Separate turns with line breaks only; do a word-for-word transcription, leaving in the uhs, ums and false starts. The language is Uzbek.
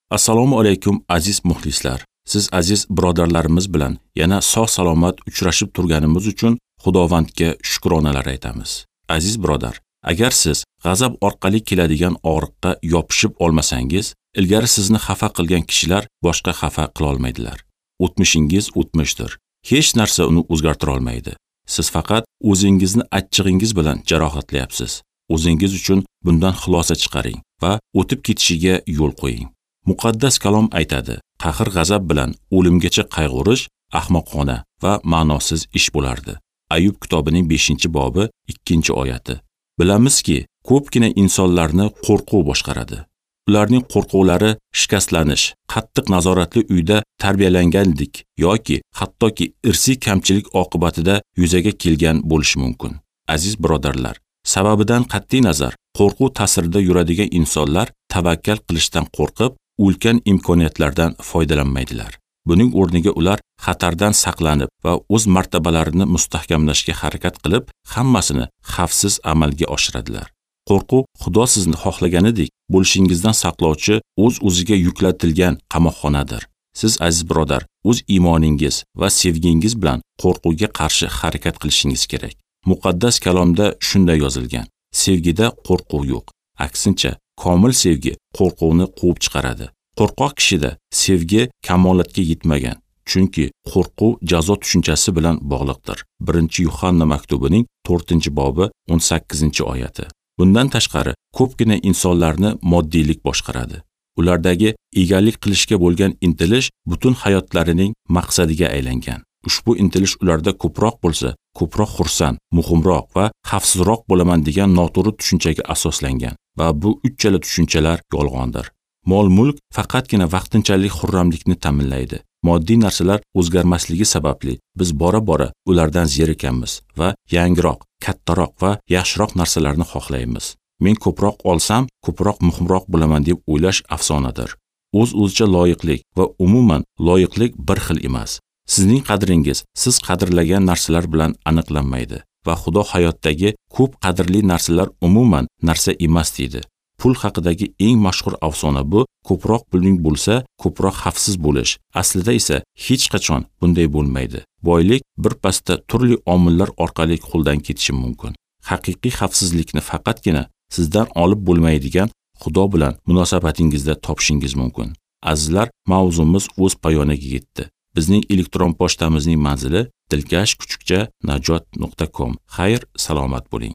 Assalomu alaykum aziz muxlislar. Siz aziz birodarlarimiz bilan yana sog' salomat uchrashib turganimiz uchun Xudovandga shukronalar aytamiz. Aziz birodar, agar siz g'azab orqali keladigan og'riqqa yopishib olmasangiz, ilgari sizni xafa qilgan kishilar boshqa xafa qila olmaydilar. O'tmishingiz o'tmishdir. Hech narsa uni o'zgartira olmaydi. Siz faqat o'zingizni achchig'ingiz bilan jarohatlayapsiz. O'zingiz uchun bundan xulosa chiqaring va o'tib ketishiga yo'l qo'ying. Muqaddas kalom aytadi, qahr-g'azab bilan o'limgacha qayg'urish ahmoqona va ma'nosiz ish bo'lardi. Ayub kitobining beshinchi bobi ikkinchi oyati. Bilamizki, ko'pgina insonlarni qo'rquv boshqaradi. Ularning qo'rquvlari shikastlanish, qattiq nazoratli uyda tarbiyalanganlik yoki hattoki irsiy kamchilik oqibatida yuzaga kelgan bo'lishi mumkin. Aziz birodarlar, sababidan qat'iy nazar, qo'rquv ta'sirida yuradigan insonlar tavakkal qilishdan qo'rqib, ulkan imkoniyatlardan foydalanmaydilar. Buning o'rniga ular xatardan saqlanib va o'z martabalarini mustahkamlashga harakat qilib, hammasini xavfsiz amalga oshiradilar. Qo'rquv Xudo sizni xohlaganidek bo'lishingizdan saqlovchi o'z-o'ziga yuklatilgan qamoqxonadir. Siz aziz birodar, o'z iymoningiz va sevgingiz bilan qo'rquvga qarshi harakat qilishingiz kerak. Muqaddas kalomda shunday yozilgan: sevgida qo'rquv yo'q. Aksincha, komil sevgi qo'rquvni quvib chiqaradi. Qo'rqoq kishida sevgi kamolatga yetmagan, chunki qo'rquv jazo tushunchasi bilan bog'liqdir. birinchi Yuhanna maktubining to'rtinchi bobi o'n sakkizinchi oyati. Bundan tashqari, ko'pgina insonlarni moddiylik boshqaradi. Ulardagi egalik qilishga bo'lgan intilish butun hayotlarining maqsadiga aylangan. Ushbu intilish ularda ko'proq bo'lsa, ko'proq xursand, muhimroq va xavfsizroq bo'laman degan noto'g'ri tushunchaga asoslangan va bu uchala tushunchalar yolg'ondir. Mol-mulk faqatgina vaqtinchalik xurramlikni ta'minlaydi. Moddiy narsalar o'zgarmasligi sababli biz bora-bora ulardan zerikamiz va yangiroq, kattaroq va yaxshiroq narsalarni xohlaymiz. Men ko'proq olsam, ko'proq muhimroq bo'laman deb o'ylash afsonadir. O'z-o'zicha loyiqlik va umuman loyiqlik bir xil emas. Sizning qadringiz siz qadrlagan narsalar bilan aniqlanmaydi va Xudo hayotdagi ko'p qadrli narsalar umuman narsa emas deydi. Pul haqidagi eng mashhur afsona bu ko'proq puling bo'lsa, ko'proq xavfsiz bo'lish. Aslida esa hech qachon bunday bo'lmaydi. Boylik bir pasda turli omillar orqali qo'ldan ketishi mumkin. Haqiqiy xavfsizlikni faqatgina sizdan olib bo'lmaydigan Xudo bilan munosabatingizda topishingiz mumkin. Azizlar, mavzumiz o'z poyoniga yetdi. Bizning elektron pochtamizning manzili dilkash kuchukcha najot nuqta com. Xayr, salomat bo'ling.